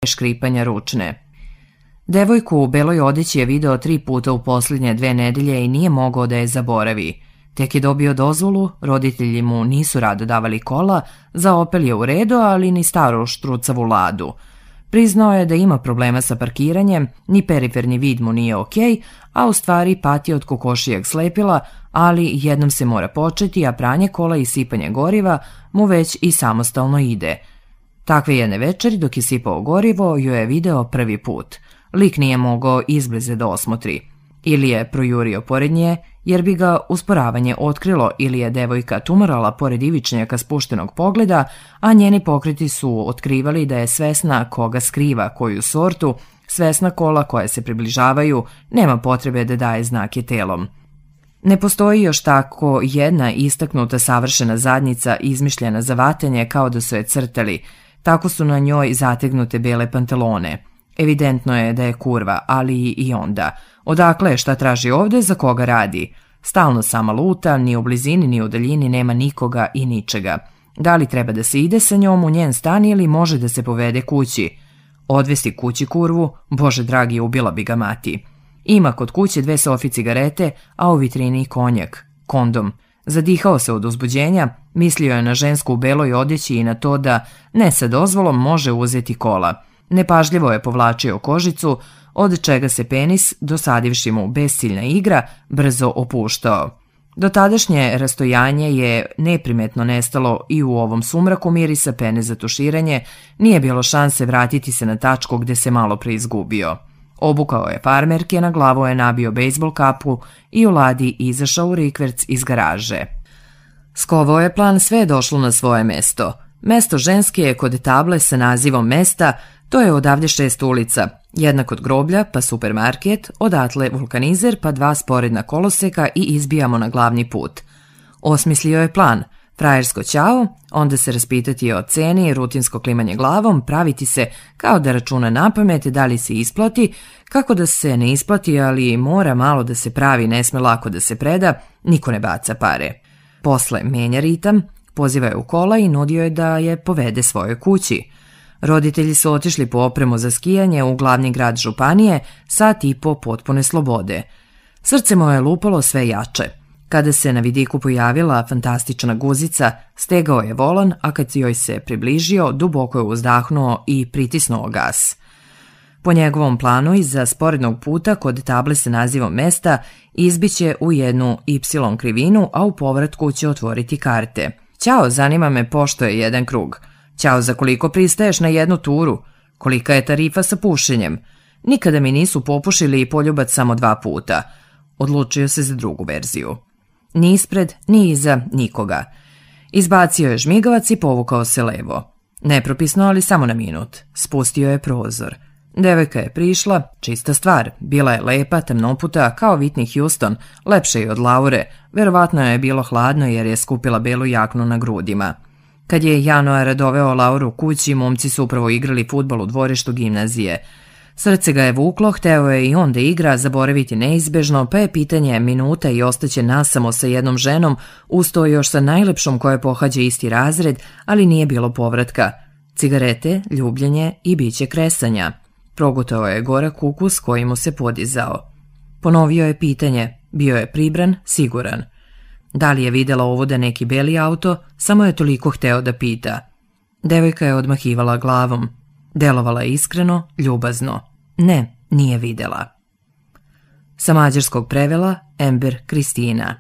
škripanja ručne. Devojku u beloj odeći je video 3 puta u posljednje 2 nedelje i nije mogao da je zaboravi. Tek je dobio dozvolu, roditelji mu nisu rado davali kola, za Opel je u redu, ali ni staru štrucavu Ladu. Priznao je da ima problema sa parkiranjem, ni periferni vid mu nije okej, a u stvari pati od kokošijeg slepila, ali jednom se mora početi, a pranje kola i sipanje goriva mu već i samostalno ide. Takve jedne večeri, dok je sipao gorivo, ju je video prvi put. Lik nije mogao izblize da osmotri. Ili je projurio pored nje, jer bi ga usporavanje otkrilo, ili je devojka tumarala pored ivičnjaka spuštenog pogleda, a njeni pokreti su otkrivali da je svesna koga skriva, koju sortu, svesna kola koja se približavaju, nema potrebe da daje znake telom. Ne postoji još tako jedna istaknuta savršena zadnjica izmišljena za vatanje kao da su je crtali, tako su na njoj zategnute bele pantalone. Evidentno je da je kurva, ali i onda. Odakle, šta traži ovde, za koga radi? Stalno sama luta, ni u blizini ni u daljini nema nikoga i ničega. Da li treba da se ide sa njom u njen stan ili može da se povede kući? Odvesti kući kurvu, bože dragi, ubila bi ga mati. Ima kod kuće 2 sofi cigarete, a u vitrini konjak, kondom. Zadihao se od uzbuđenja, mislio je na žensku u beloj odjeći i na to da ne sa dozvolom može uzeti kola. Nepažljivo je povlačio kožicu, od čega se penis, dosadivši mu besciljna igra, brzo opuštao. Dotadašnje rastojanje je neprimetno nestalo i u ovom sumraku mirisa pene za tuširanje nije bilo šanse vratiti se na tačku gde se malo preizgubio. Obukao je farmerke, na glavu je nabio bejsbol kapu i u Ladi izašao u rikverc iz garaže. Skovao je plan, sve je došlo na svoje mesto. Mesto ženske je kod table sa nazivom mesta, to je odavde 6 ulica, jedna kod groblja, pa supermarket, odatle vulkanizer, pa 2 sporedna koloseka i izbijamo na glavni put. Osmislio je plan, frajersko ćao, onda se raspitati o ceni, rutinsko klimanje glavom, praviti se kao da računa napamet, da li se isplati, kako da se ne isplati, ali mora malo da se pravi, ne sme lako da se preda, niko ne baca pare. Posle menja ritam, poziva je u kola i nudio je da je povede svojoj kući. Roditelji su otišli po opremu za skijanje u glavni grad županije, sat i po potpune slobode. Srce mu je lupalo sve jače. Kada se na vidiku pojavila fantastična guzica, stegao je volan, a kad joj se približio, duboko je uzdahnuo i pritisnuo gas. Po njegovom planu iza sporednog puta kod table sa nazivom mesta izbiće u jednu Y krivinu, a u povratku će otvoriti karte. Ćao, zanima me pošto je jedan krug. Ćao, za koliko pristaješ na jednu turu? Kolika je tarifa sa pušenjem? Nikada mi nisu popušili i poljubac samo 2 puta. Odlučio se za drugu verziju. Ni ispred, ni iza, nikoga. Izbacio je žmigavac i povukao se levo. Nepropisno, ali samo na minut. Spustio je prozor. Devojka je prišla, čista stvar. Bila je lepa, temnoputa, kao Whitney Houston, lepše i od Laure. Verovatno je bilo hladno jer je skupila belu jaknu na grudima. Kad je januara doveo Lauru kući, momci su upravo igrali fudbal u dvorištu gimnazije. Srce ga je vuklo, hteo je i on da igra, zaboraviti neizbežno, pa je pitanje minuta i ostaće nasamo sa jednom ženom, usto još sa najlepšom koja pohađa isti razred, ali nije bilo povratka. Cigarete, ljubljenje i biće kresanja. Progutao je gorak ukus koji mu se podizao. Ponovio je pitanje, bio je pribran, siguran. Da li je videla ovuda neki beli auto, samo je toliko hteo da pita. Devojka je odmahivala glavom. Delovala je iskreno, ljubazno. Ne, nije videla. Sa mađarskog prevela Ember Kristina.